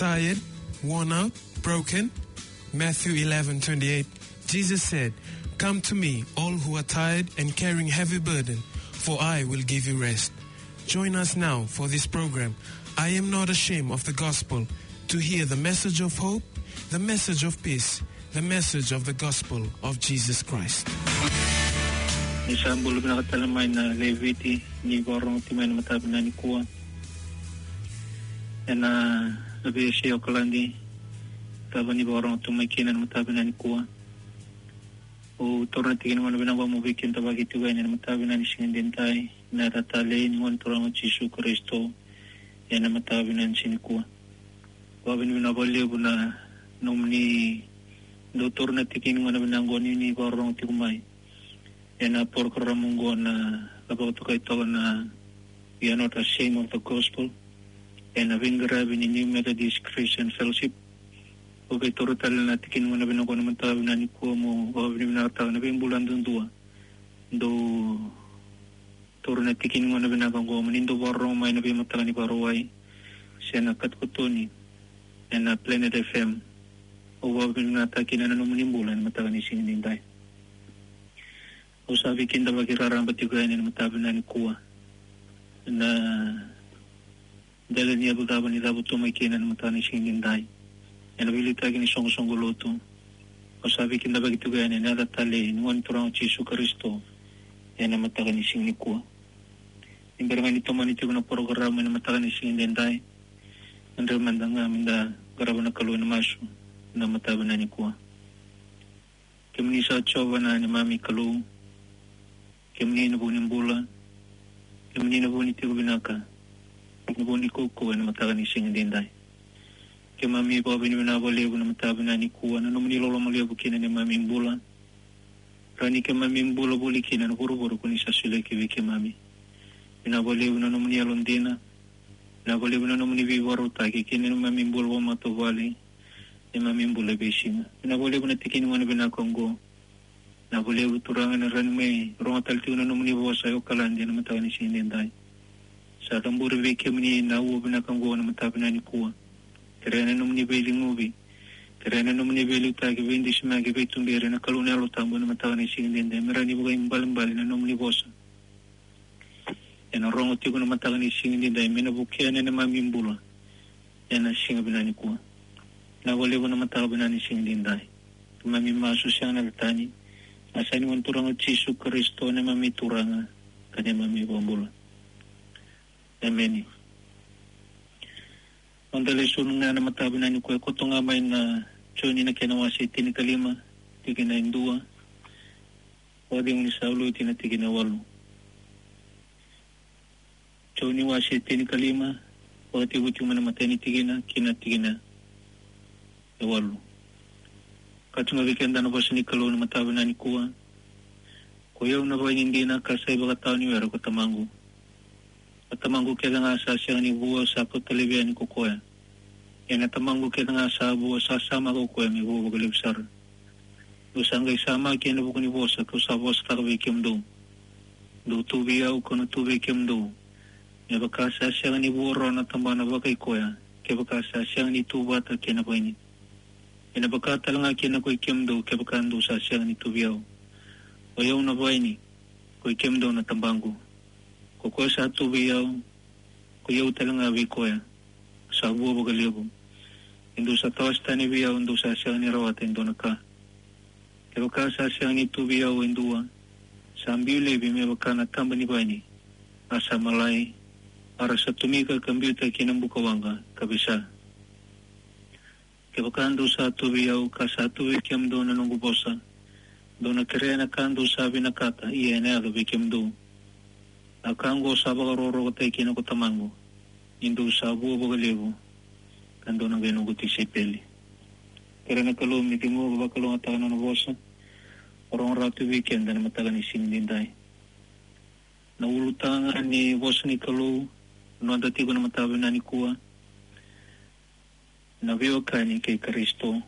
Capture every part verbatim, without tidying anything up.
tired, worn out, broken? Matthew eleven twenty-eight, Jesus said, "Come to me, all who are tired and carrying heavy burden, for I will give you rest." Join us now for this program, I Am Not Ashamed of the Gospel, to hear the message of hope, the message of peace, the message of the gospel of Jesus Christ. Ni sa bula vinaka tale mai na leviti ni vakarorogo tiko mai na mataka vinaka nikua. Ena veiyasai Okaladi, cava ni vakarorogo tiko mai kina na mataka vinaka nikua. Au taura na tiki ni gauna vinaka mo veikidavaki tiko yani ena mataka vinaka ni siga edaidai, ena yaca talei ni Gone Turaga o Jisu Karisito, ena mataka vinaka ni siga nikua. Vakavinavinaka vakalevu na nomuni dau taura na tiki ni gauna vinaka oqo ni vakarorogo tiko mai ena porokaramu oqo na, na vakatokai toka na We Are Not Ashamed of the Gospel, ena veiqaravi ni New Methodist Christian Fellowship. Au qai taura tale na tiki ni gauna vinaka oqo na mataka vinaka nikua mo vakavinavinakataka na veibula duadua dau taura na tiki ni gauna vinaka oqo mo ni dau vakarorogo mai na veimataka ni Vakarauwai se na katokatoni ena Planet F M. Au vakavinavinakataka kina na nomuni bula ena mataka ni siga edaidai. Au sa veikidavaki raraba tiko yani ena mataka vinaka nikua. Na dela ni yavu cava ni cavutu mai kina ena mataka ni siga edaidai, ena veiliutaki ni soqosoqo lotu. Au sa veikidavaki tiko yani ena yaca talei ni Gone Turaga o Jisu Karisito, ena mataka ni siga nikua. Ni bera ga ni tomani tiko na porokaramu ena mataka ni siga edaidai, na drau mada ga meda qarava na Kalou ena masu ena mataka vinaka nikua. Kemuni sa Jiova na neimami Kalou. Kemuni na vu ni bula. Kemuni na vu ni tiko vinaka. Na vu ni kaukaua ena mataka ni siga edaidai. Keimami vakavinavinaka vakalevu na mataka vinaka nikua na nomuni loloma levu kina neimami bula. Rawa ni keimami bula voli kina na vuravura ko ni sa solia ki vei keimami. Vinaka vakalevu na nomuni yalodina. Vinaka vakalevu na nomuni veivakarautaki kina neimami bula vakamatavuvale. Neimami bula e veisiga. Vinaka vakalevu na tiki ni gauna vinaka oqo. Vinaka vakalevu Turaga na rawa ni mai rogo tale tiko na nomuni vosa e Okaladi ena mataka ni siga edaidai. Sa caburi vei kemuni na aua vinaka oqo na mataka vinaka nikua. Kerea na nomuni veiligaci. Kerea na nomuni veiliutaki, veidusimaki, veituberi na Kalou na Yalo Tabu ena mataka ni siga edaidai. Me rawa ni vakaibalebale na nomuni vosa ena rogo tiko na mataka ni siga edaidai, me na vukea na neimami bula ena siga vinaka nikua. Vinaka vakalevu na mataka vinaka ni siga edaidai. Keimami masu sega ena yaca tani, na yaca ni Gone Turaga o Jisu Karisito, neimami Turaga ka neimami iVakabula. Emeni. Noda lesoni ga ena mataka vinaka nikua e koto ga mai na Joni na kena wase tinikalima, tikina e dua, vakacegu ni sa loti na tikina e walu. Joni wase tinikalima, vakatekivu tiko mai na imatai ni tikina ki na tikina e walu. Ka tukuna vei keda na vosa ni Kalou na mataka vinaka nikua. Koi au na vaini dina ka sa ivakatawa ni were ko Tamaqu. Na Tamaqu kece ga sa sega ni vua sa kauta laivi yani ko koya. Ia na Tamaqu kece ga sa vua sa samaka ko koya me vua vakalevu sara. Dou sa qai samaki ena vuku ni vosa kau sa vosataka vei kemudou. Dou tu vei au kau na tu vei kemudou. Me vaka sa sega ni vua rawa na tabana vakaikoya kevaka sa sega ni tu vata kei na vaini. Ena vaka tale ga kina koi kemudou kevaka dou sa sega ni tu vei au. Oi au na vaini, koi kemudou na tabaqu. Ko koya sa tu vei au, koi au tale ga vei koya, sa vua vakalevu. Ni dou sa tawase tani vei au dou sa sega ni rawata e dua na ka. Kevaka sa sega ni tu vei au e dua, sa biu laivi me vaka na taba ni vaini, a sa malai, a ra sa tomika ka biuta ki na buka waqa ka veisa. Kevaka dou sa tu vei au ka sa tu vei kemudou na noqu vosa, dou na kerea na ka dou sa vinakata, ia ena yaco vei kemudou. Na ka oqo sa vakarokorokotaki kina ko Tamaqu, ni dou sa vua vakalevu, ka dou na qai noqu tisaipeli. Kerea na Kalou me ciqoma vakalougatataka na nona vosa, rogo rawa tu vei keda na mataka ni siga edaidai. Na ulutaga ni vosa ni Kalou, noda tiko na mataka vinaka nikua, na veiwekani kei Karisito.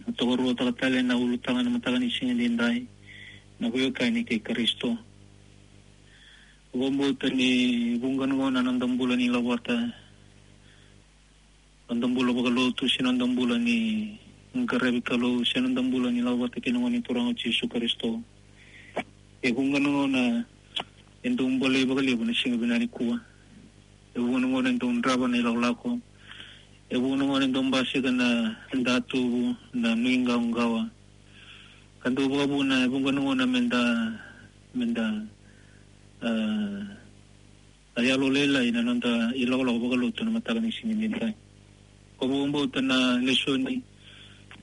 Na tokaruataka tale na ulutaga na mataka ni siga edaidai, na veiwekani kei Karisito. Vakabauta ni vuqa na gauna na noda bula ni lavata noda bula vakalotu, se noda bula ni qaravi Kalou, se noda bula ni lako vata kei na Gone Turaga o Jisu Karisito. E vuqa na gauna e dau bolei vakalevu na siga vinaka nikua. E vuqa na gauna e dau drava na ilakolako. E vuqa na gauna e dau basika na datuvu, na nuiqawaqawa. Ka dau vakavuna, e vuqa na gauna meda, meda, ah, a yalolailai na noda ilakolako vakalotu na mataka ni siga edaidai. Ko vakabauta na lesoni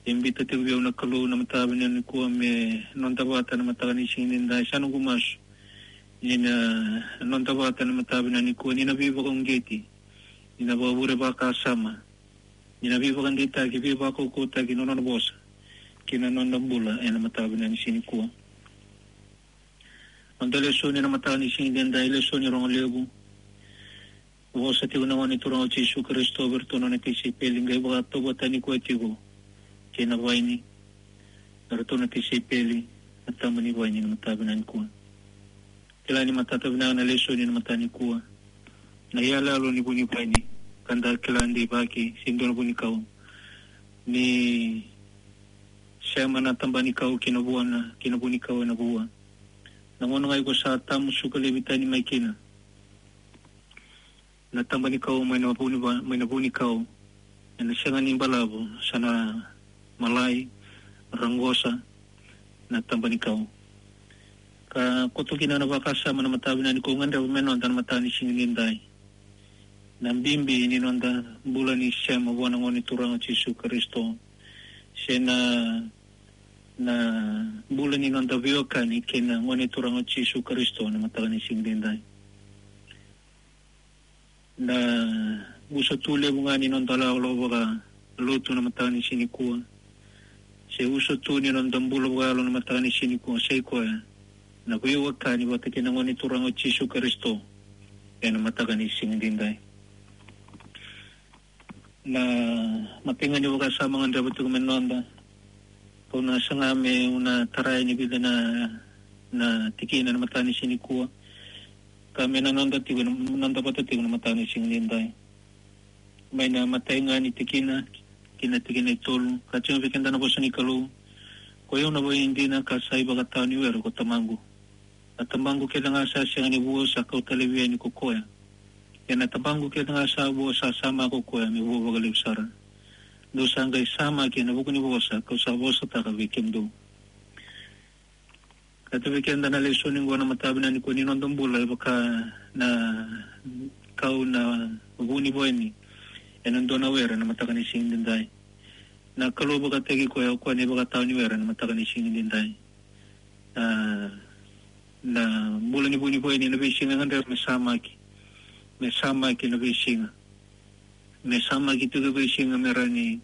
e biuta tiko vei au na Kalou na mataka vinaka nikua me noda vata na mataka ni siga edaidai. Sa noqu masu ni na noda vata na mataka vinaka nikua ni na veivakauqeti, ni na vakavure vakasama, ni na veivakadeitaki, veivakaukauwataki na nona vosa kei na noda bula ena mataka vinaka ni siga nikua. Noda lesoni na mataka ni siga edaidai, lesoni rogo levu. Vosa tiko na Gone Turaga o Jisu Karisito vei iratou na nona tisaipeli, qai vakatauvatani koya tiko kei na vaini. Eratou na tisaipeli, na taba ni vaini na mataka vinaka nikua. Kila ni matata vinaka na lesoni na mataka nikua. Na iyaloyalo ni vu ni vaini, ka da kila deivaki se dua na vunikau. Ni sema na taba ni kau kei na vuana, kei na vunikau ena vua. Na gauna ga iko sa tamusuka laivi tani mai kina na taba ni kau mai na vu ni va-, mai na vunikau, ena sega ni balavu, sa na malai, raqosa na taba ni kau. Ka koto kina na vakasama na mataka vinaka nikua, gadreva me noda na mataka ni siga edaidai. Na bibi ni noda bula ni sema vua na Gone Turaga o Jisu Karisito, se na, na bula ni noda veiwekani kei na Gone Turaga o Jisu Karisito na mataka ni siga edaidai. Na uso tu levu ga ni noda lako vakalotu na mataka ni siga nikua, se uso tu ni noda bula vakayalo na mataka ni siga nikua, sa i koya na veiwekani vata kei na Gone Turaga o Jisu Karisito ena mataka ni siga edaidai. Na matai ga ni vakasama gadreva tiko me noda, kau na saga meu na tarai ni vica na, na tikina na mataka ni siga nikua, ka me na noda tiko, noda vata tiko na mataka ni siga edaidai. Mai na matai ga ni tikina ki na tikina e tolu, ka tukuna vei keda na vosa ni Kalou: Koi au na vaini dina, ka sa ivakatawa ni were ko Tamaqu. Na tabaqu kece ga sa sega ni vua sa kauta laivi yani ko koya. Ia na tabaqu kece ga sa vua sa samaka ko koya me vua vakalevu sara. Dou sa qai samaki ena vuku ni vosa kau sa vosataka vei kemudou. Ka tukuna vei keda na lesoni qo na mataka vinaka nikua ni noda bula e vaka na kau na vu ni vaini ena dua na were na mataka ni siga edaidai. Na Kalou vakataki koya o koya na ivakatawa ni were na mataka ni siga edaidai. Na, na bula ni vu ni vaini ena veisiga e gadreva me samaki. Me samaki ena veisiga. Me samaki tiko e veisiga me rawa ni,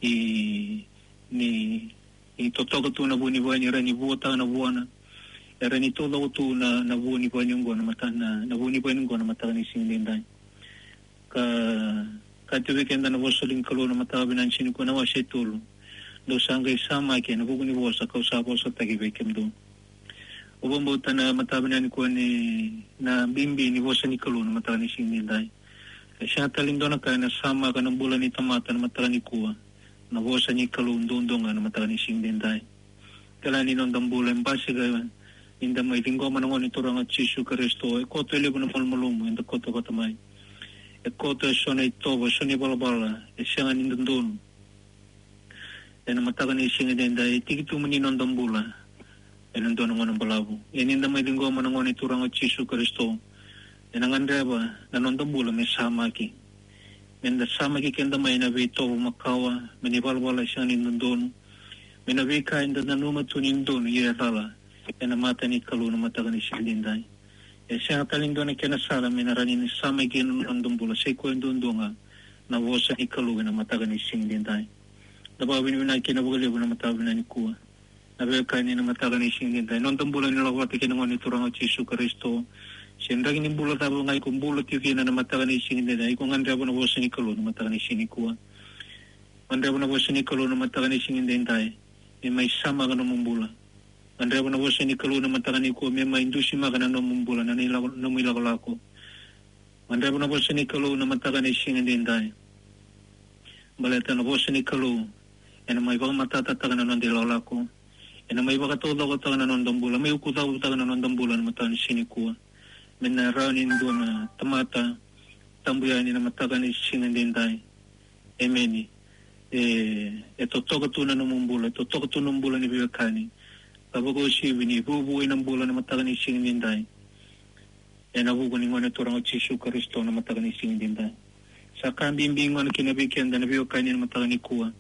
i, ni, ni totoka tu na vu ni vaini, rawa ni vuataka na vuana. E rawa ni taucoko tu na, na vu ni vaini oqo na mata-, na, na vu ni vaini oqo na mataka ni siga edaidai. Ka, ka tukuna vei keda na vosa ni Kalou na mataka vinaka ni siga nikua na wase e tolu: Dou sa qai samaki ena vuku ni vosa kau sa vosataki vei kemudou. Au vakabauta na mataka vinaka nikua ni na bibi ni vosa ni Kalou na mataka ni siga edaidai. E sega tale ni dua na ka ena samaka na bula ni tamata na mataka nikua, na vosa ni Kalou duadua ga na mataka ni siga edaidai. Kila ni noda bula e basika ni da mai ciqoma na Gone Turaga o Jisu Karisito, e koto e levu na malumalumu eda koto vata mai. E koto eso na itovo, eso na ivalavala e sega ni dodonu. Ena mataka ni siga edaidai, e tiki tu mai ni noda bula ena dua na gauna balavu. Ia ni da mai ciqoma na Gone Turaga o Jisu Karisito, ena gadreva na noda bula me samaki. Me da samaki keda mai na veitovo makawa, mai na ivalavala e sega ni dodonu, mai na veika eda nanuma tu ni dodonu ia e cala ena mata ni Kalou na mataka ni siga edaidai. E sega tale ni dua na kena sala me na rawa ni samaki kina na noda bula, sa i koya duadua ga na vosa ni Kalou ena mataka ni siga edaidai. Da vakavinavinaka kina vakalevu na mataka vinaka nikua. Na veiwekani, na mataka ni siga edaidai, noda bula ni lako vata kei na Gone Turaga o Jisu Karisito, se draki ni bula cava ga iko bula tiko kina na mataka ni siga edaidai, iko gadreva na vosa ni Kalou na mataka ni siga nikua. Gadreva na vosa ni Kalou na mataka ni siga edaidai me mai samaka nomu bula. Gadreva na vosa ni Kalou na mataka nikua me mai dusimaka na nomu bula, na ilako-, nomu ilakolako. Gadreva na vosa ni Kalou na mataka ni siga edaidai Baleta na vosa ni Kalou ena mai vakamatatataka na noda ilakolako, ena mai vakataucokotaka na noda bula, mai ukucavutaka na noda bula na mataka ni siga nikua. Me na rawa ni dua na tamata tabu yani na mataka ni siga edaidai. Emeni. E, e totoka tu na nomu bula, e totoka tu na nomu bula ni veiwekani. Ka vakauasivi ni vuavuai na bula na mataka ni siga edaidai. Ena vuku ni Gone Turaga o Jisu Karisito na mataka ni siga edaidai. Sa ka bibi gona kina vei keda na veiwekani na mataka nikua.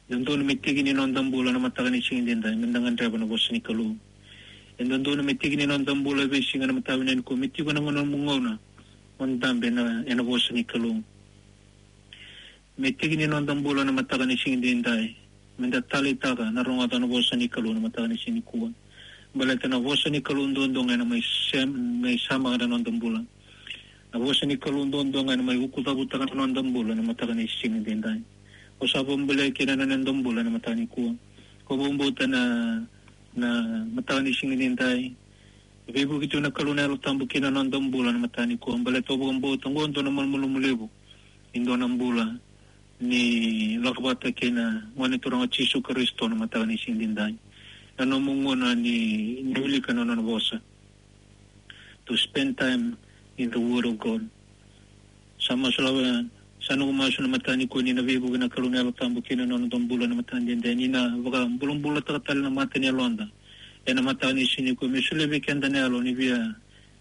Dodonu me tiki ni noda bula na mataka ni siga edaidai, me da gadreva na vosa ni Kalou. E dodonu me tiki ni noda bula e veisiga na mataka nikua, me tiko na nomu gauna mo dabe ena, ena vosa ni Kalou. Me tiki ni noda bula na mataka ni siga edaidai, me da taleitaka na rogoca na vosa ni Kalou na mataka ni siga nikua. Baleta na vosa ni Kalou duadua ga ena mai sem-, mai samaka na noda bula. Na vosa ni Kalou duadua ga ena mai ukucavutaka na noda bula na mataka ni siga edaidai. Ko sa vakabulai kina na noda bula na mataka nikua. Ko vakabauta na, na mataka ni siga edaidai. Veivuke tu na Kalou na Yalo Tabu kina noda bula na mataka nikua. Baleta au vakabauta oqo dua na malumalumu levu. E dua na bula ni lako vata kei na Gone Turaga o Jisu Karisito na mataka ni siga edaidai. Na nomu gauna ni, ni wilika na nona vosa. To spend time in the Word of God. Sa masulaka, sa noqu masu na mataka nikua ni na veivuke na Kalou na Yalo Tabu kina nona bula na mataka edaidai, ni na vakabulabulataka tale na mata ni yaloda ena mataka ni siga nikua, me solia vei keda na yalo ni via,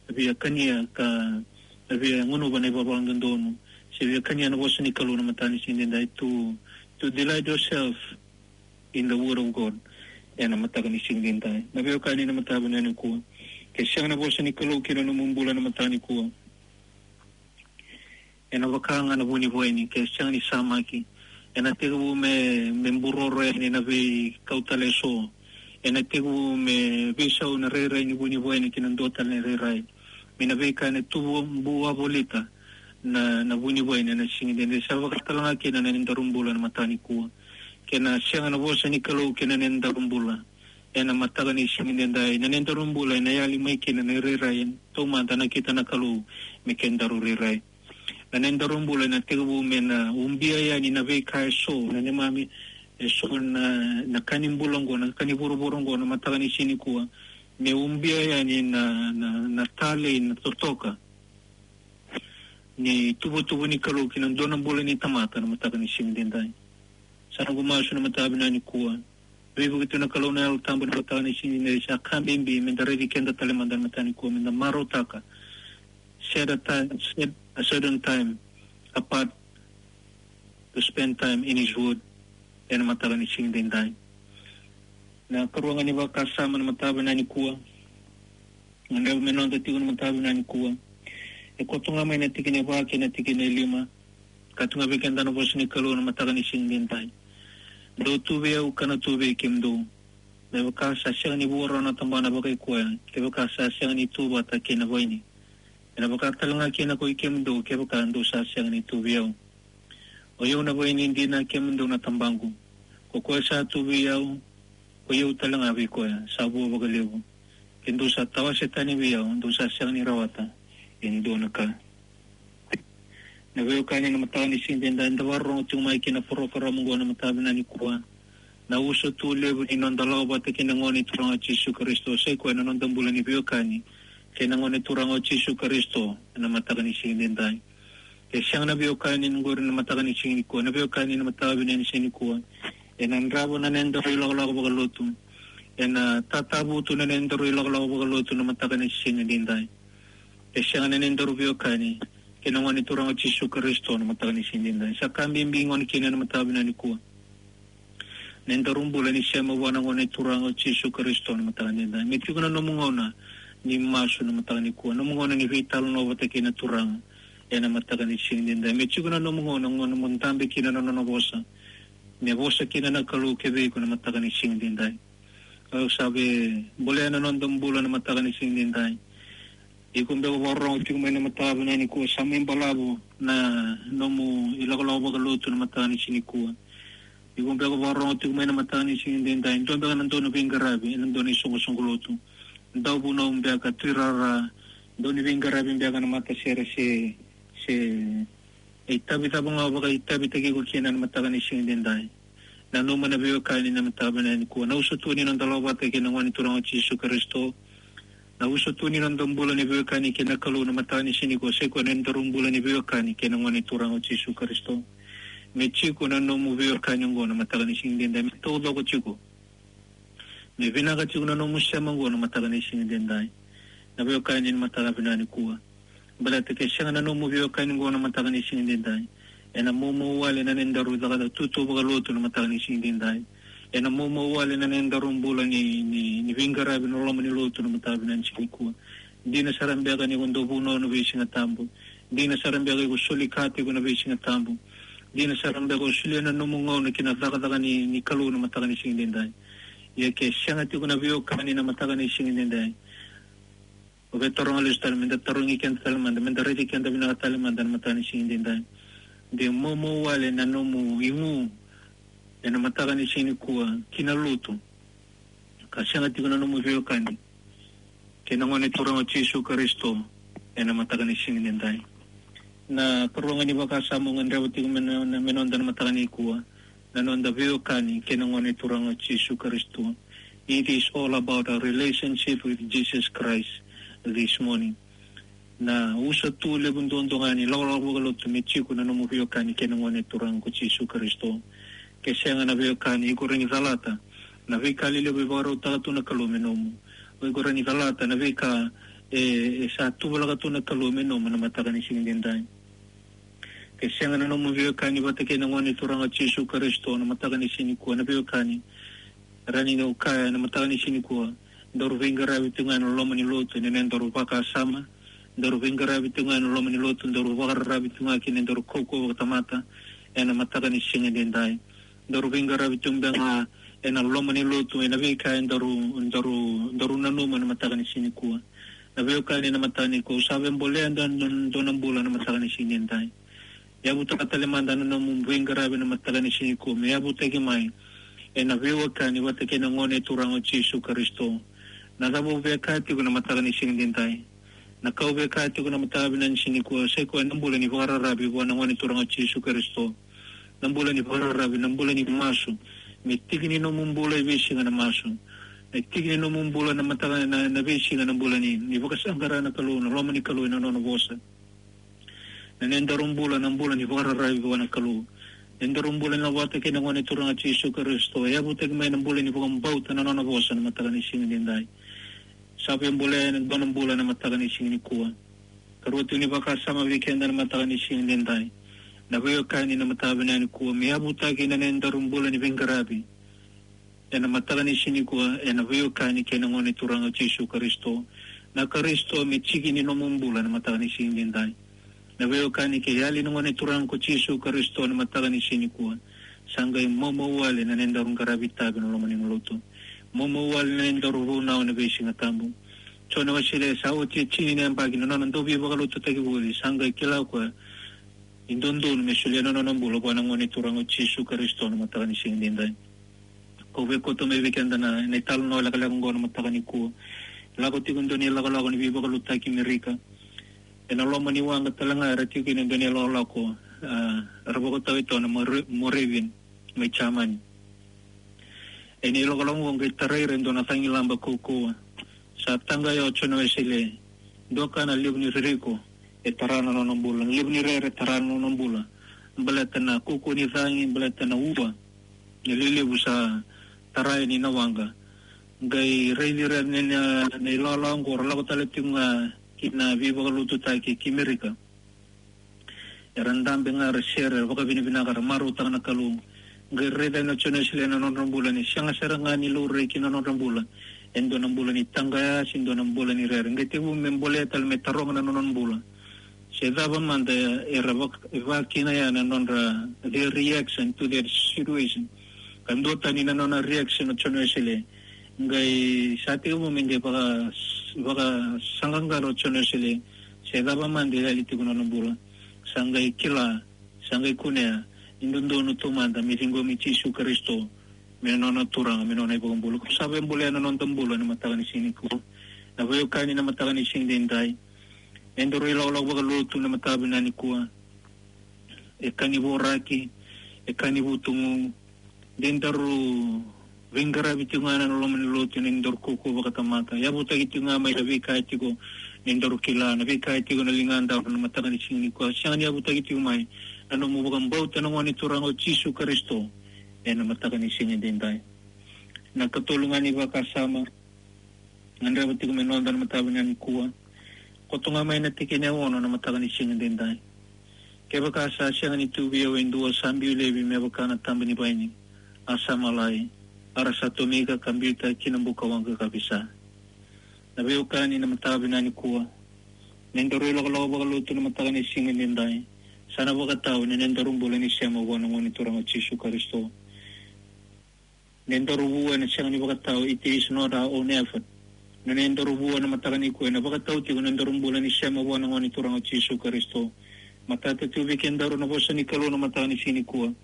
via kania ka, via gunuva na ivalavala dodonu, se via kania na vosa ni Kalou na mataka ni siga edaidai. To, to delight yourself in the Word of God ena mataka ni siga edaidai. Na veiwekani na mataka vinaka nikua, ke sega na vosa ni Kalou kina nomu bula na mataka nikua, ena vaka ga na vunivaini, ke sega ni samaki, ena tekivu me, me buroro yani na veikau tale eso. Ena tekivu me veisau na rairai ni vunivaini kina dua tale na rairai. Me na veika ena tubu wavolita na, na vunivaini ena siga edaidai. Sa vaka tale ga kina na nodaru bula na mataka nikua. Ke na sega na vosa ni Kalou kina nodaru bula ena mataka ni siga edaidai, na nodaru bula ena yali mai kina na irairai taumada a nakita na Kalou me kedaru rairai. Na nodaru bula ena tekivu me na ubia yani na veika eso, na neimami eso, na, na ka ni bula oqo, na ka ni vuravura oqo na mataka ni siga nikua. Me ubia yani na, na, na talei, na totoka ni tuvatuva ni Kalou kina dua na bula ni tamata na mataka ni siga edaidai. Sa noqu masu na mataka vinaka nikua, veivuke tu na Kalou na Yalo Tabu na mataka ni siga edaidai. Sa ka bibi me da raici keda tale mada na mataka nikua, me da marautaka set a time, set a certain time apart to spend time in His Word ena mataka ni siga edaidai. Na karua ga ni vakasama na mataka vinaka nikua, gadreva me noda tiko na mataka vinaka nikua. E koto ga mai na tikina e va kei na tikina e lima. Ka tu ga vei keda na vosa ni Kalou na mataka ni siga edaidai. Dou tu vei au ka na tu vei kemudou. Me vaka sa sega ni vuarau na tabana vakai koya, kevaka sa sega ni tu vata kei na vaini. Ena vaka tale ga kina ko i kemudou, kevaka dou sa sega ni tu vei au. O i au na vaini dina, kemudou na tabaqu. Ko koya sa tu vei au, ko i au tale ga vei koya, sa vua vakalevu. Ke dou sa tawase tani vei au, dou sa sega ni rawata e dua na ka. Na veiwekani na mataka ni siga edaidai, da vakarorogo tiko mai kina porokaramu oqo na mataka vinaka nikua. Na uso tu levu ni noda lako vata kei na Gone Turaga o Jisu Karisito, sa i koya na noda bula ni veiwekani kei na Gone Turaga o Jisu Karisito ena mataka ni siga edaidai. Ke sega na veiwekani oqori na mataka ni siga nikua, na veiwekani na mataka vinaka ni siga nikua, ena drava na nodaru ilakolako vakalotu. Ena tatavutu na nodaru ilakolako vakalotu na mataka ni siga edaidai. Ke sega na nodaru veiwekani kei na Gone Turaga o Jisu Karisito na mataka ni siga edaidai. Sa ka bibi gona kina na mataka vinaka nikua, nodaru bula ni sema vua na Gone Turaga o Jisu Karisito na mataka edaidai. Me tiko na nomu gauna ni masu na mataka nikua, nomu gauna ni veitalanoa vata kei na Turaga ena mataka ni siga edaidai. Me tiko na nomu gauna, gauna mo dabe kina na nona vosa. Me vosa kina na Kalou ki vei iko na mataka ni siga edaidai. Au sa via bolea na noda bula na mataka ni siga edaidai. Iko beka vakarorogo tiko mai na mataka vinaka nikua, sa mai balavu na nomu ilakolako vakalotu na mataka ni siga nikua. Iko beka vakarorogo tiko mai na mataka ni siga edaidai, dua beka na dau ni veiqaravi ena dua na isoqosoqo lotu. Dauvunau beka, tuirara, dau ni veiqaravi beka na matasere se, se E itavi cava ga o vakaitavitaki iko kina ena mataka ni siga edaidai. Nanuma na veiwekani ena mataka vinaka nikua. Na usutu ni noda lako vata kei na Gone Turaga o Jisu Karisito. Na usutu ni noda bula ni veiwekani kei na Kalou ena mataka ni siga nikua. Sa ikoya na nodaru bula ni veiwekani kei na Gone Turaga o Jisu Karisito. Me tiko na nomu veiwekani oqo ena mataka ni siga edaidai. Me taucoko tiko. Me vinaka tiko na nomu sema oqo ena mataka ni siga edaidai. Na veiwekani ena mataka vinaka nikua. Baleta ke sega na nomu veiwekani oqo ena mataka ni siga edaidai. Ena maumau wale na nodaru cakacaka tutu vakalotu ena mataka ni siga edaidai. Ena maumau wale na nodaru bula ni, ni, ni veiqaravi ena loma ni lotu ena mataka vinaka ni siga nikua. Dina sara beka ni ko dau vunau ena veisiga tabu. Dina sara beka iko soli ka tiko ena veisiga tabu. Dina sara beka o solia na nomu gauna ki na cakacaka ni, ni Kalou ena mataka ni siga edaidai. Ia ke sega tiko na veiwekani ena mataka ni siga edaidai. O via taroga lesu tale, meda tarogi keda tale mada, meda raici keda vinaka tale mada ena mataka ni siga edaidai. De maumau wale na nomu igu ena mataka ni siga nikua ki na lotu. Ka sega tiko na nomu veiwekani kei na Gone Turaga o Jisu Karisito ena mataka ni siga edaidai. Na karua ga ni vakasama au gadreva tiko me na, me noda ena mataka nikua. Na noda veiwekani kei na Gone Turaga o Jisu Karisito. It is all about our relationship with Jesus Christ this morning. Na usutu levu duadua ga ni lakolako vakalotu me tiko na nomu veiwekani kei na Gone Turaga ko Jisu Karisito. Ke sega na veiwekani, iko rawa ni calata na veika lelevu e vakarautaka tu na Kalou me nomu. Iko rawa ni calata na veika e, e sa tuvalaka tu na Kalou me nomu ena mataka ni siga edaidai. Ke sega na nomu veiwekani vata kei na Gone Turaga o Jisu Karisito ena mataka ni siga nikua, na veiwekani, rawa ni au kaya ena mataka ni siga nikua, daru veiqaravi tu ga ena loma ni lotu ena nodaru vakasama, daru veiqaravi tu ga ena loma ni lotu, daru vakararavi tu ga ki na nodaru kaukauwa vakatamata ena mataka ni siga edaidai. Daru veiqaravi tu beka ga ena loma ni lotu ena veika e daru, daru, daru nanuma ena mataka ni siga nikua. Na veiwekani ena mataka nikua, au sa via bolea e dua, dua, dua na bula ena mataka ni siga edaidai. Yavutaka tale mada na nomu veiqaravi ena mataka ni siga nikua me yavutaki mai ena veiwekani vata kei na Gone Turaga o Jisu Karisito. Na cava au via kaya tiko ena mataka ni siga edaidai? Na ka au via kaya tiko ena mataka vinaka ni siga nikua, sa ikoya na bula ni vakararavi vua na Gone Turaga o Jisu Karisito. Na bula ni vakararavi, na bula ni masu. Me tiki ni nomu bula e veisiga na masu. Me tiki ni nomu bula ena mataka, na, na veisiga na bula ni, ni vakasaqara na Kalou, na loma ni Kalou ena nona vosa. Na nodaru bula na bula ni vakararavi vua na Kalou. Na nodaru bula ni lako vata kei na Gone Turaga Jisu Karisito. E yavutaki mai na bula ni vakabauta na nona vosa ena mataka ni siga edaidai. Sa via bolea e dua na bula ena mataka ni siga nikua. Karua tiko ni vakasama vei keda ena mataka ni siga edaidai. Na veiwekani ena mataka vinaka nikua me yavutaki na nodaru bula ni veiqaravi ena mataka ni siga nikua, ena veiwekani kei na Gone Turaga o Jisu Karisito. Na Karisito me tiki ni nomu bula ena mataka ni siga edaidai. Na veiwekani kei yali na Gone Turaga ko Jisu Karisito ena mataka ni siga nikua. Sa qai maumau wale na nodaru qaravi tavi ena loma ni lotu. Maumau wale na nodaru vunau ena veisiga tabu. Jone Wesele sa oti e tini na yabaki na nona dau veivakalotutaki voli, sa qai kila o koya ni dodonu me solia na nona bula vua na Gone Turaga o Jisu Karisito ena mataka ni siga edaidai. Kau via kauta mai vei keda na, na italanoa lekaleka oqo ena mataka nikua. Lako tiko e dua na ilakolako ni veivakalotutaki Amerika. Ena loma ni waqa tale ga era tiko kina e dua na ilakolako, ah, era vakatau e toa na More-, Moravian mai Jamani. Ena ilakolako oqo qai tarai ira e dua na cagilaba kaukauwa. Sa taqaya o Jone Wesele, dua ga na levu ni ririko e tara na nona bula, na levu ni rere e tara na nona bula. Baleta na kaukauwa ni cagi, baleta na ua ni lelevu sa tara yani na waqa. Qai raici ira na, na, na ilakolako oqo, ra lako tale tiko ga ki na veivakalotutaki ki Amerika. Era dabe ga, ra sere, ra vakavinavinaka, ra marautaka na Kalou. Qai raica o Jone Wesele ena nodra bula ni sega sara ga ni laurai ki na nodra bula e dua na bula ni taqaya se dua na bula ni rere. Qai tekivu me bolea tale, me taroga na nona bula se cava mada era vak-, vakina ya na nodra, their reaction to their situation. Ka duatani na nona reaction o Jone Wesele. Qai sa tekivu me qai vaka, vakasaqaqara o Jone Wesele se cava mada e yali tiko na nona bula. Sa qai kila, sa qai kunea ni dodonu taumada me ciqomi Jisu Karisito me nona Turaga, me nona iVakabula. Kau sa via bolea na noda bula ena mataka ni siga nikua. Na veiwekani ena mataka ni siga edaidai. Eda rui lakolako vakalotu ena mataka vinaka nikua. e ka ni voraki, e ka ni vutugu. De daru veiqaravi tiko ga na loma ni lotu ena nodaru kaukaua vakatamata. Yavutaki tiko ga mai na veika tiko ni daru kila, na veika tiko na ligadaru na mataka ni siga nikua. Sega ni yavutaki tiko mai na nomu vakabauta na Gone Turaga o Jisu Karisito ena mataka ni siga edaidai. Na ikatolu ga ni vakasama gadreva tiko me noda na mataka vinaka nikua. Koto ga mai na tikina e ono na mataka ni siga edaidai. Kevaka sa sega ni tu vei au e dua sa biu laivi me vaka na taba ni vaini, a sa malai, a ra sa tomika ka biuta ki na buka waqa ka visa. Na veiwekani na mataka vinaka nikua, na nodaru ilakolako vakalotu na mataka ni siga edaidai sa na vakatau ena nodaru bula ni sema vua na Gone Turaga o Jisu Karisito. Na nodaru vua ena sega ni vakatau, it is not our own effort. Na nodaru vua na mataka nikua ena vakatau tiko na nodaru bula ni sema vua na Gone Turaga o Jisu Karisito. Matata tu vei kedaru na vosa ni Kalou na mataka ni siga nikua.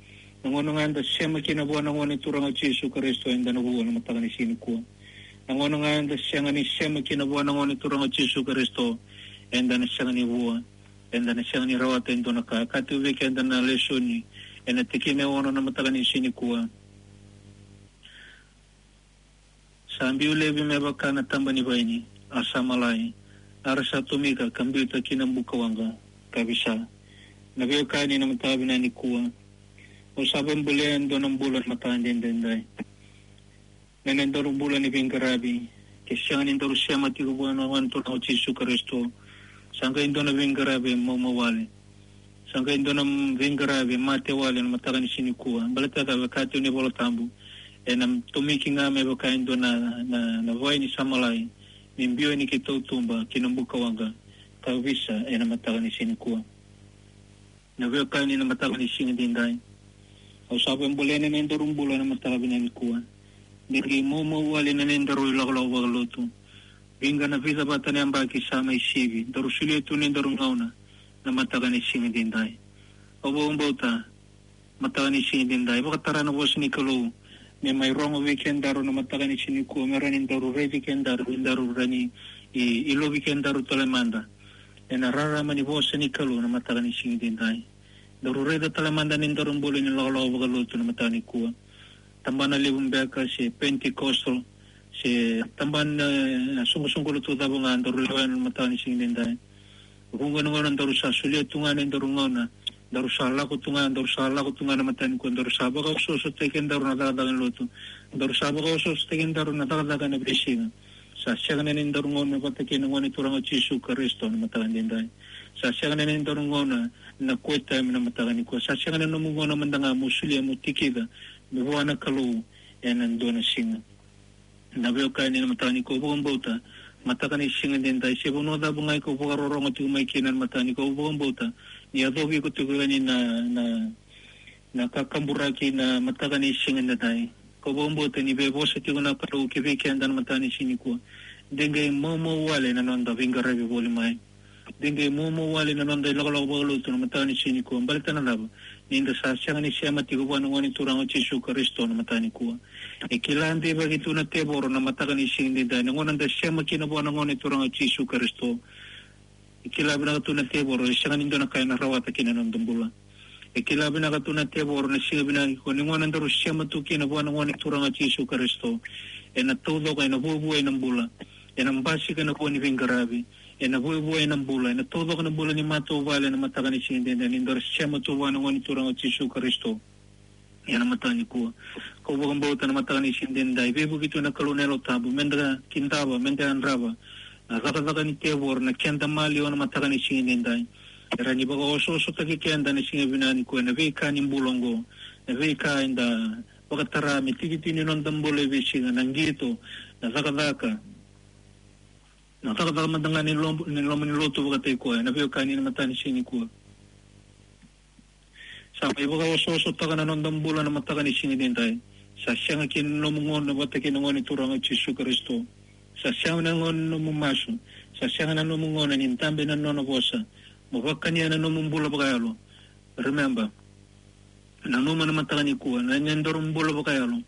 Na gauna ga eda sema kina vua na Gone Turaga o Jisu Karisito, eda na vua na mataka ni siga nikua. Na gauna ga eda sega ni sema kina vua na Gone Turaga o Jisu Karisito, eda na sega ni vua, eda na sega ni rawata e dua na ka. Ka tu vei keda na lesoni ena tikina e ono na mataka ni siga nikua. Sa biu laivi me vaka na taba ni vaini, a sa malai, a ra sa tomika ka biuta ki na buka waqa ka visa. Na veiwekani na mataka vinaka nikua, au sa vakabolea e dua na bula na mataka edaidai. Na nodaru bula ni veiqaravi, ke sega ni daru sema tiko vua na Gone Turaga o Jisu Karisito, sa qai dua na veiqaravi e maumau wale. Sa qai dua na veiqaravi e mate wale na mataka ni siga nikua. Baleta ka vaka tu ni Vola Tabu, ena tomiki ga me vaka e dua na, na, na vaini sa malai, me biu yani ki tautuba ki na buka waqa ka visa ena mataka ni siga nikua. Na veiwekani na mataka ni siga edaidai, au sa vakabolea na nodaru bula na mataka vinaka nikua. De qai maumau wale na nodaru ilakolako vakalotu. Vica na vica vata na yabaki sa mai sivi, daru solia tu na nodaru gauna na mataka ni siga edaidai. Au vakabauta mataka ni siga edaidai, vakatara na vosa ni Kalou me mai rogo vei kedaru na mataka ni siga nikua, me rawa ni daru raici kedaru, me daru rawa ni i, ilovi kedaru tale mada ena rarama ni vosa ni Kalou na mataka ni siga edaidai. Daru raica tale mada na nodaru bula ni lakolako vakalotu na mataka nikua. Tabana levu beka se Pentecostal se tabana, e, soqosoqo lotu cava ga daru lewena na mataka ni siga edaidai. Vuqa na gauna daru sa solia tu ga na nodaru gauna, daru sa lako tu ga, daru sa lako tu ga na mataka nikua, daru sa vakaosoosotaki kedaru na cakacaka ni lotu, daru sa vakaosoosotaki kedaru na cakacaka ena veisiga. Sa sega na nodaru gauna vata kei na Gone Turaga o Jisu Karisito na mataka edaidai. Sa sega na nodaru gauna na quiet time na mataka nikua. Sa sega na nomu gauna mada ga mo solia mo tikica me vua na Kalou ena dua na siga. Na veiwekani na mataka nikua, au vakabauta mataka ni siga edaidai, se vanua cava ga iko vakarorogo tiko mai kina na mataka nikua, au vakabauta ni yacovi iko tiko yani na, na, na kakaburaki na mataka ni siga edaidai. Au vakabauta ni veivosa tiko na Kalou ki vei keda na mataka ni siga nikua. De qai maumau wale na noda veiqaravi voli mai. De qai maumau wale na noda ilakolako vakalotu na mataka ni siga nikua. Baleta na cava? Ni da sa sega ni sema tiko vua na Gone Turaga o Jisu Karisito na mataka nikua. E kila deivaki tu na tevoro na mataka ni siga edaidai na gauna da sema kina vua na Gone Turaga o Jisu Karisito. E kila vinaka tu na tevoro, e sega ni dua na ka ena rawata kina na noda bula. E kila vinaka tu na tevoro na siga vinaka nikua ni gauna daru sema tu kina vua na Gone Turaga o Jisu Karisito. Ena taucoko, ena vuavuai na bula. Ena basika na vua ni veiqaravi. Ena vuavuai na bula, ena taucoko na bula ni matavuvale na mataka ni siga edaidai ni daru sema tu vua na Gone Turaga o Jisu Karisito. Ena mataka nikua, au vakabauta na mataka ni siga edaidai, veivuke tu na Kalou na Yalo Tabu, meda kidava, meda yadrava na cakacaka ni tevoro na keda maliwa na mataka ni siga edaidai. Era ni vakaosoosotaki keda na siga vinaka nikua ena veika ni bula oqo, na veika eda vakatara me tikitiki ni noda bula e veisiga, na qito, na cakacaka, na cakacaka mada ga ni lom-, ni loma ni lotu vakataki koya, na veiwekani na mataka ni siga nikua. Sa mai vakaosoosotaka na noda bula na mataka ni siga edaidai. Sa sega kina na nomu gauna vata kei na Gone Turaga o Jisu Karisito. Sa sega na gauna na nomu masu. Sa sega na nomu gauna ni dabe na nona vosa. Mo vakania na nomu bula vakayalo. Remember, nanuma na mataka nikua, na nodaru bula vakayalo,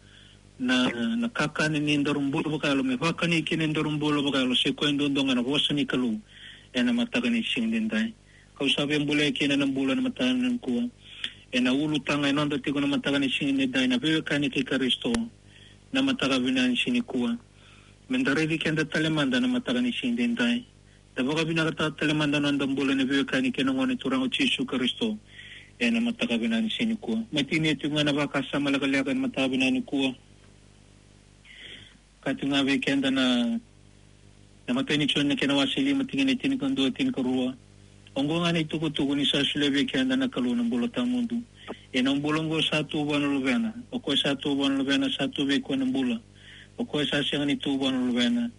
na, na kakana ni nodaru bula vakayalo, me vakani kina nodaru bula vakayalo, se koya duadua ga na vosa ni Kalou ena mataka ni siga edaidai. Au sa via bolea kina na bula na mataka nikua. Ena ulutaga e noda tiko na mataka ni siga edaidai na veiwekani kei Karisito. Na mataka vinaka ni siga nikua. Me da raici keda tale mada na mataka ni siga edaidai. Da vakavinakataka tale mada na noda bula na veiwekani kei na Gone Turaga o Jisu Karisito. Ena mataka vinaka ni siga nikua. Mai tinia tiko ga na vakasama lekaleka ena mataka vinaka nikua. Ka tiko ga vei keda na, na imatai ni Joni na kena wase lima tikina e tinikadua, tinikarua. Oqo ga na itukutuku ni sa solia vei keda na Kalou na bula tawamudu. Ia na bula oqo sa tu vua na Luvena. O koya sa tu vua na Luvena sa tu vei koya na bula. O koya sa sega ni tu vua na Luvena,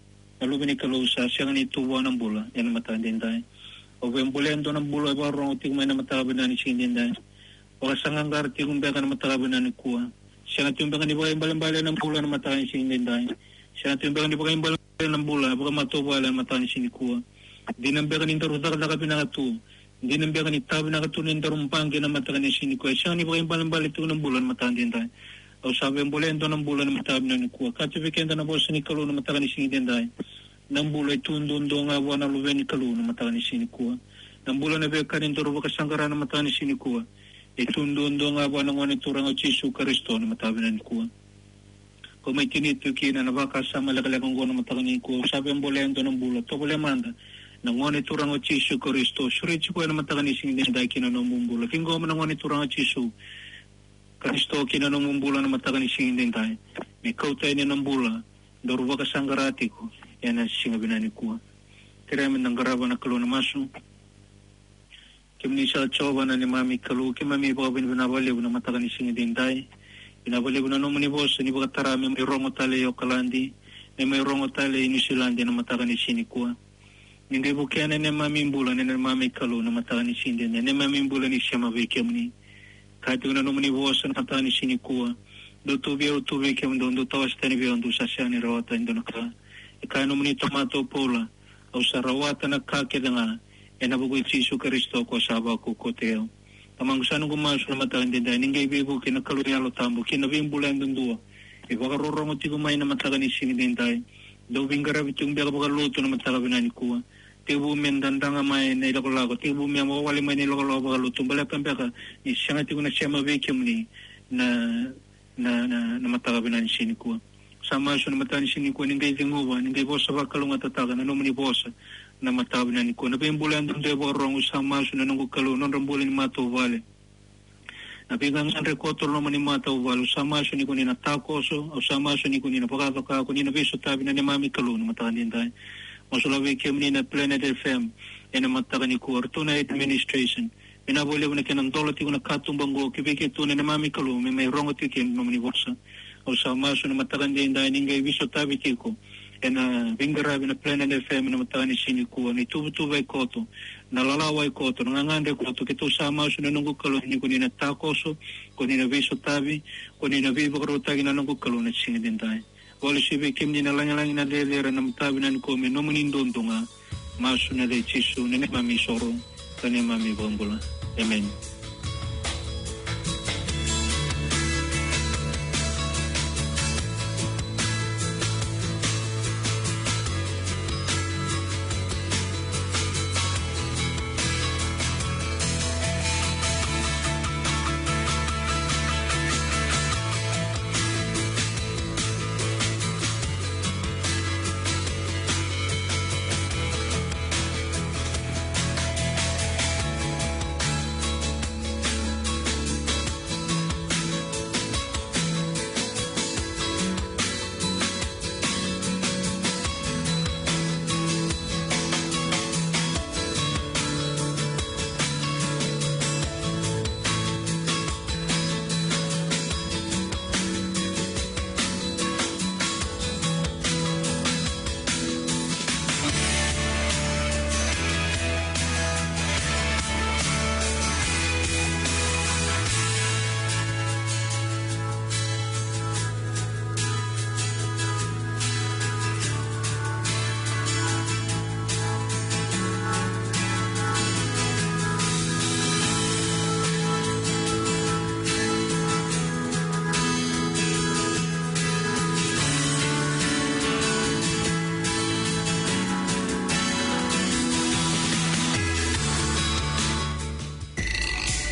na Luve ni Kalou sa sega ni tu vua na bula. Ena mataka edaidai. O via bolea e dua na bula e vakarorogo tiko mai na mataka vinaka ni siga edaidai. Vakasaqaqara tiko beka na mataka vinaka nikua. Sega tiko beka ni vakaibalebale na bula na mataka ni siga edaidai. Sega tiko beka ni vakaibalebale na bula vakamatavuvale na mataka ni siga nikua. Dina beka ni daru cakacaka vinaka tu. Dina beka ni ta vinaka tu ni daru baqe na mataka ni siga nikua. Sega ni vakaibalebale tiko na bula na mataka edaidai. Au sa via bolea e dua na bula na mataka vinaka nikua. Kaya vei keda na vosa ni Kalou na mataka ni siga edaidai. Na bula e tu duadua ga vua na Luve ni Kalou na mataka ni siga nikua. Na bula na veiwekani daru vakasaqara na mataka ni siga nikua. E tu duadua ga vua na Gone Turaga o Jisu Karisito na mataka vinaka nikua. Ko mai tinia tiko kina na vakasama lekaleka oqo na mataka nikua. Au sa via bolea e dua na bula. Tovolea mada na Gone Turaga o Jisu Karisito. Sureti koya na mataka ni siga edaidai kina nomu bula. Ciqoma na Gone Turaga o Jisu Karisito kina nomu bula na mataka ni siga edaidai. Me kauta yani na bula daru vakasaqara tiko ena siga vinaka nikua. Kerea me da qarava na Kalou na masu. Kemuni sa Jiova na neimami Kalou, keimami vakavinavinaka vakalevu na mataka ni siga edaidai. Vinaka vakalevu na nomuni vosa ni vakatara me mai rogo tale e Okaladi, me mai rogo tale e Niusiladi na mataka ni siga nikua. Ni qai vukea na neimami bula na neimami Kalou na mataka ni siga edaidai, na neimami bula ni sema vei kemuni. Kaya tiko na nomuni vosa na mataka ni siga nikua. Dou tu vei au, au tu vei kemudou, dou tawase tani vei au, dou sa sega ni rawata e dua na ka. E kaya na nomuni tamata o Paula, au sa rawata na ka kece ga ena vuku i Jisu Karisito ko sa vakaukauwataki au. Tamaqu, sa noqu masu na mataka edaidai ni qai veivuke na Kalou Yalo Tabu kei na veibula yadudua e vakarorogo tiko mai na mataka ni siga edaidai. Dou veiqaravi tiko beka vakalotu na mataka vinaka nikua. Tekivu me dadraga mai na ilakolako, tekivu me wawale mai na ilakolako vakalotu, baleta beka ni sega tiko na sema vei kemuni na, na, na, na mataka vinaka ni siga nikua. Sa masu na mataka ni siga nikua ni qai ceguva, ni qai vosa vakalougatataka na nomuni vosa na mataka vinaka nikua. Na veibula yadudua e vakarorogo, sa masu na noqu Kalou, nodra bula ni matavuvale. Na veigagadre koto loma ni matavuvale, au sa masu ni ko ni na takoso, au sa masu ni ko ni na vakacaka, ko ni na veisotavi na neimami Kalou na mataka edaidai. Masulaka vei kemuni na Planet F M ena mataka nikua, ratou na administration. Vinaka vakalevu na kena dola tiko na katuba oqo ki vei keitou na neimami Kalou me mai rogo tiko kina na nomuni vosa. Au sa masu na mataka edaidai ni qai veisotavi tiko ena veiqaravi na Planet F M na mataka ni siga nikua, na ituvatuva e koto, na lalawa e koto, na gagadre e koto, keitou sa masu na noqu Kalou ni ko ni na takoso, ko ni na veisotavi, ko ni na veivakarautaki na noqu Kalou na siga edaidai. Vakalesuya vei kemuni na lagilagi, na cecere, na mataka vinaka nikua me nomuni duadua ga. Masu ena yaca i Jisu na neimami isoro ka neimami iVakabula. Emeni.